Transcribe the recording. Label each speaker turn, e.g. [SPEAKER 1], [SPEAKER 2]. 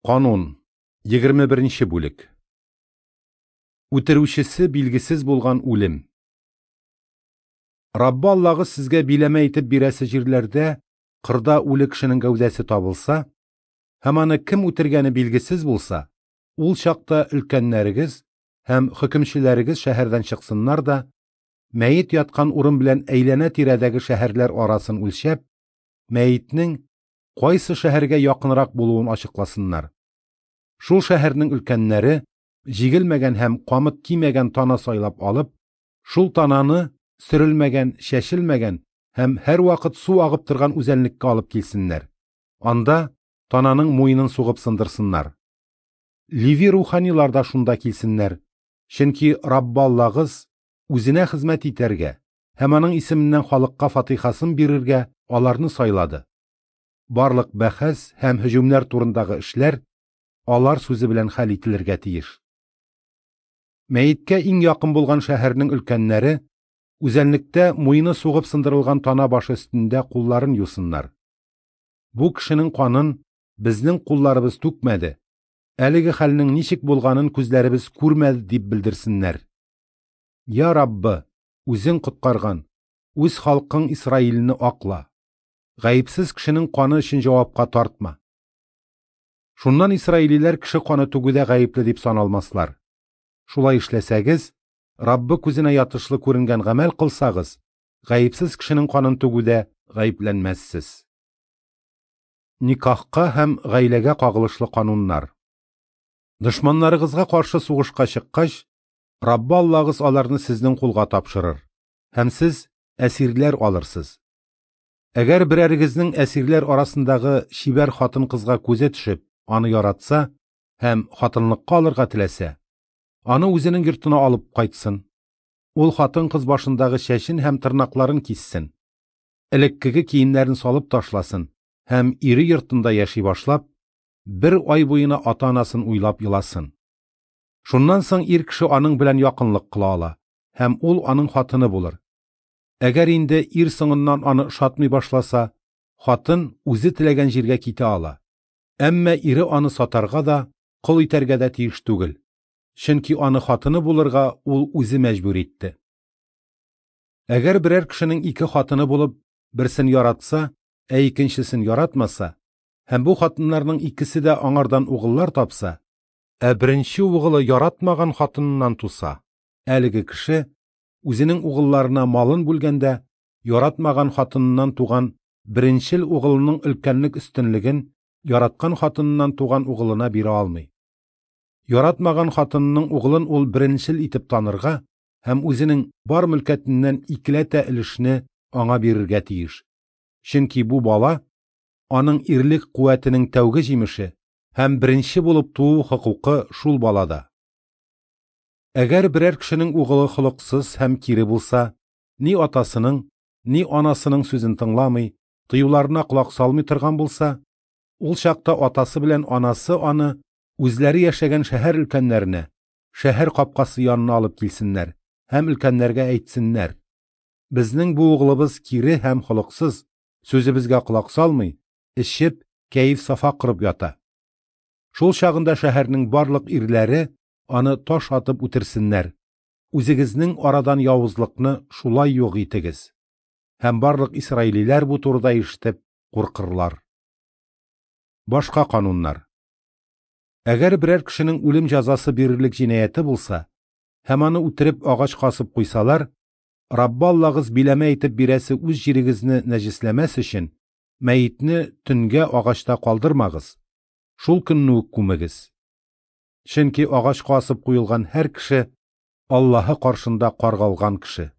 [SPEAKER 1] Канун, 21 бүлек. Үтерүчесе билгесез булган үлем. Раббы Аллагыз сезгә биләмә итеп бирәсе җирләрдә кырда үле кешенең гәүдәсе табылса, һәм аны кем үтергәне билгесез булса, ул чакта өлкәннәрегез һәм хөкемчеләрегез шәһәрдән чыксыннар да, мәет яткан урын белән әйләнә-тирәдәге шәһәрләр арасын үлчәп, мәетнең кайсы шәһәргә якынрак булуын ачыкласыннар. Шул шәһәрнең өлкәннәре җигелмәгән һәм камыт кимәгән тана сайлап алып, шул тананы сөрелмәгән, чәчелмәгән һәм һәрвакыт су агып торган үзәнлеккә алып килсеннәр. Анда тананың муенын сугып сындырсыннар. Леви руханилар да шунда килсеннәр, чөнки Раббы Аллагыз үзенә хезмәт итәргә һәм аның исеменнән халыкка фатихасын бирергә аларны сайлады. Барлык бәхәс һәм һөҗүмнәр турындагы эшләр алар сүзе белән хәл ителергә тиеш. Мәеткә иң якын булган шәһәрнең өлкәннәре үзәнлектә муены сугып сындырылган тана башы өстендә кулларын юсыннар. Бу кешенең канын безнең кулларыбыз түкмәде, әлеге хәлнең ничек булганын күзләребез күрмәде дип белдерсеннәр. Я Раббы, үзең коткарган, үз халкың Исраилне акла. Гаепсез кешенең каны өчен җавапка тартма. Шуннан исраилиләр кеше каны түгүдә гаепле дип саналмаслар. Шулай эшләсәгез, Раббы күзенә ятышлы күренгән гамәл кылсагыз, гаепсез кешенең канын түгүдә гаепләнмәссез. Никахка һәм гаиләгә кагылышлы кануннар. Дошманнарыгызга каршы сугышка чыккач, Раббы Аллагыз аларны сезнең кулга тапшырыр, һәм сез әсирләр алырсыз. Әгәр берәрегезнең әсирләр арасындагы чибәр хатын-кызга күзе төшеп, аны яратса һәм хатынлыкка алырга теләсә, аны үзенең йортына алып кайтсын. Ул хатын-кыз башындагы чәчен һәм тырнакларын киссен, элеккеге киемнәрен салып ташласын һәм ире йортында яши башлап, бер ай буена ата-анасын уйлап еласын. Шуннан соң ир кеше аның белән якынлык кыла ала, һәм ул аның хатыны булыр. Әгәр инде ир соңыннан аны ошатмый башласа, хатын үзе теләгән җиргә китә ала. Әмма ире аны сатарга да, кол итәргә дә тиеш түгел. Чөнки аны хатыны булырга ул үзе мәҗбүр итте. Әгәр берәр кешенең ике хатыны булып, берсен яратса, ә икенчесен яратмаса, һәм бу хатыннарның икесе дә аңардан угыллар тапса, ә беренче угылы яратмаган хатыныннан туса, әлеге кеше үзенең угылларына малын бүлгәндә, яратмаган хатыныннан туган беренчел угылының өлкәнлек өстенлеген яраткан хатыныннан туган угылына бирә алмый. Яратмаган хатынының угылын ул беренчел итеп танырга һәм үзенең бар мөлкәтеннән икеләтә өлешне аңа бирергә тиеш. Чөнки бу бала аның ирлек куәтенең тәүге җимеше һәм беренче булып туу хокукы шул балада. Әгәр берәр кешенең угылы холыксыз һәм кире булса, ни атасының, ни анасының сүзен тыңламый, тыюларына колак салмый торган булса, ул чакта атасы белән анасы аны үзләре яшәгән шәһәр өлкәннәренә, шәһәр капкасы янына алып килсеннәр һәм өлкәннәргә әйтсеннәр: Безнең бу угылыбыз кире һәм холыксыз, сүзебезгә колак салмый, эчеп, кәеф-сафа корып ята. Шул чагында шәһәрнең барлык ирләре аны таш атып үтерсеннәр. Үзегезнең арадан явызлыкны шулай юк итегез. Һәм барлык исраилиләр бу турыда ишетеп куркырлар. Башка кануннар. Әгәр берәр кешенең үлем җәзасы бирерлек җинаяте булса, һәм аны үтереп агачка асып куйсалар, Раббы Аллагыз биләмә итеп бирәсе үз җирегезне нәҗесләмәс өчен, мәетне төнгә агачта калдырмагыз, шул көнне үк күмегез. Чөнки агачка асып куелган һәр кеше Аллаһы каршында каргалган кеше.